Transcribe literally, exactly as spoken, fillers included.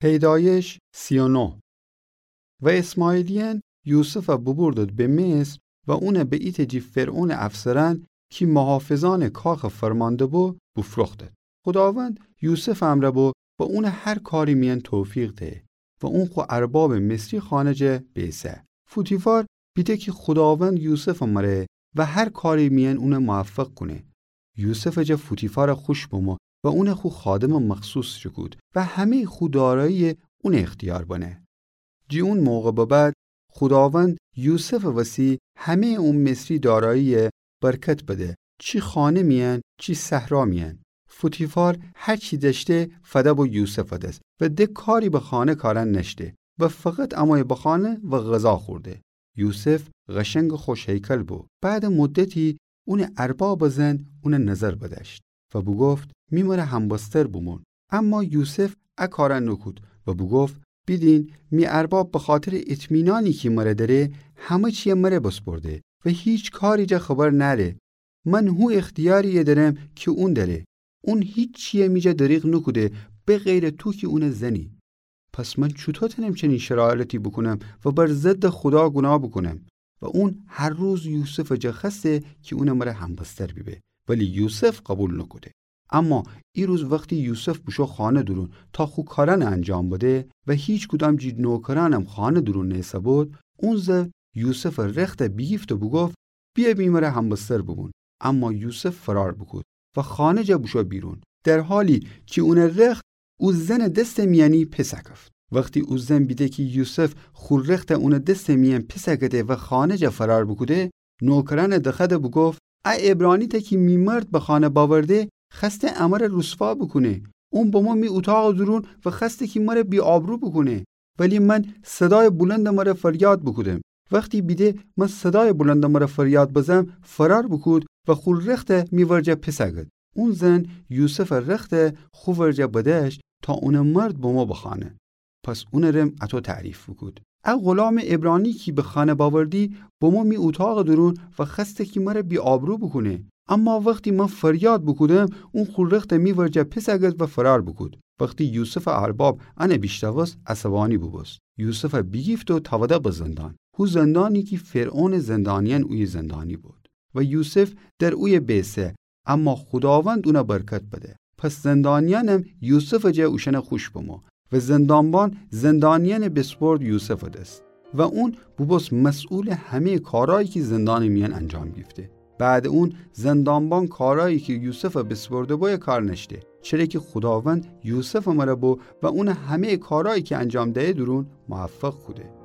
پیدایش سی و نه. و اسماعیلیأن یوسفَ بوبوردد به مصر و اونَ به ایتأ جی فرعونٚ افسرأن کی محافظأنٚ کاخٚ فرمانده بو، بوفروختد. خوداوند یوسفٚ امرأ بو و اونَ هر کاری میأن توفیق ده و اون خو اربابٚ مصری خانه جا بیسه. فوتیفار بیده کی خوداوند یوسفٚ مره و هر کاری میأن اونَ موفق کونه. یوسفٚ جا فوتیفارَ خوش بمو و اونَ خو خادمٚ مخصوص جه کود و همه‌یٚ خو دارایی اونٚ اختیار بنه. جی اون موقع به بعد خوداوند یوسفٚ وسی همه‌یٚ او مصری دارایی برکت بده، چی خانه میأن، چی صحرا میأن. فوتیفار هر چی دأشته فده بو یوسفٚ دس و ده کاری به خانه کارأن نأشته و فقط امویه به خانه و غذا خورده. یوسف قشنگ خوش هیکل بو. بعدٚ مدتی اونٚ اربابٚ زن اونَ نظر بدأشت و بوگفت: می مره همبستر بومون. اما یوسف ا کارَ نوکود و بوگفت: بیدین، می ارباب بخاطرٚ اطمینانی کی مره دأره، همه چیَ مره بسپرده و هیچ کاری جا خبر نأره. من هو اختیاریی دأرم کی اون دأره. اون هیچیی می جا دریغ نوکوده، به غیرٚ تو کی اونٚ زنی. پس من چوطو تأنم چنین شرارتی بوکونم و بر ضدٚ خودا گوناه بوکونم؟ و اون هر روز یوسفٚ جا خوأسته کی اونٚ مره همبستر بیبه، ولی یوسف قوبیل نوکوده. اما ایروز وختی یوسف بوشو خانه دورون تا خو کارأنَ انجام بده و هیچکدام جی نوکرأنم خانه دورون نیسه‌بود، اون زن یوسفٚ رختَ بیگیفت و بوگفت: بیأ می مره همبستر بوبون. اما یوسف فرار بوکود و خانه جا بوشو بیرون، در حالی کی اونٚ رخت او زنٚ دستٚ میأنی پیسه کفت. وختی او زن بیده کی یوسف خو رختَ اونٚ دستٚ میأن پیسه کده و خانه جا فرار بوکوده، نوکرأنَ دخوأده بوگفت: ا عبرانیته کی می مرد به خانه باورده، خوأسته امره روسوا بوکونه. اون بمو می اوطاقٚ دورون و خوأسته کی مره بی‌آبرو بوکونه. ولی من صدایٚ بلندٚ مره فریاد بوکودم. وختی بیده من صدایٚ بلندٚ مره فریاد بزم، فرار بوکود و خو رختَ می ورجه پیسه کد. اون زن یوسفٚ رختَ خو ورجه بدأشت تا اونٚ مرد بمو به خانه. پس اونٚ رم اطو تعریف بوکود: ا غلامٚ عبرانی کی به خانه باوردی، بمو می اوطاقٚ دورون و خوأسته کی مره بی‌آبرو بوکونه. اما وختی من فریاد بوکودم، اون خو رختَ می ورجه پیسه کد و فرار بوکود. وختی یوسفٚ ارباب انَ بیشنوست، عصبانی بوبوست. یوسفَ بیگیفت و تأوده به زندان، هو زندانی کی فرعونٚ زندانیأن اویه زندانی بود. و یوسف در اویه بیسه، اما خوداوند اونَ برکت بده. پس زندانیأنم یوسفٚ جا اوشأنَ خوش بمو و زندانبان زندانیأنَ بسپرد یوسفٚ دس و اون بوبوست مسئولٚ همه‌یٚ کارأیی کی زندانٚ میأن انجام گیفته. بعدٚ اون زندانبان کارأیی کی یوسفَ بسپرده بویه کار نأشته، چره کی خوداوند یوسفٚ مره بو و اونَ همه‌یٚ کارأیی کی انجام دهیه دورون موفق کوده.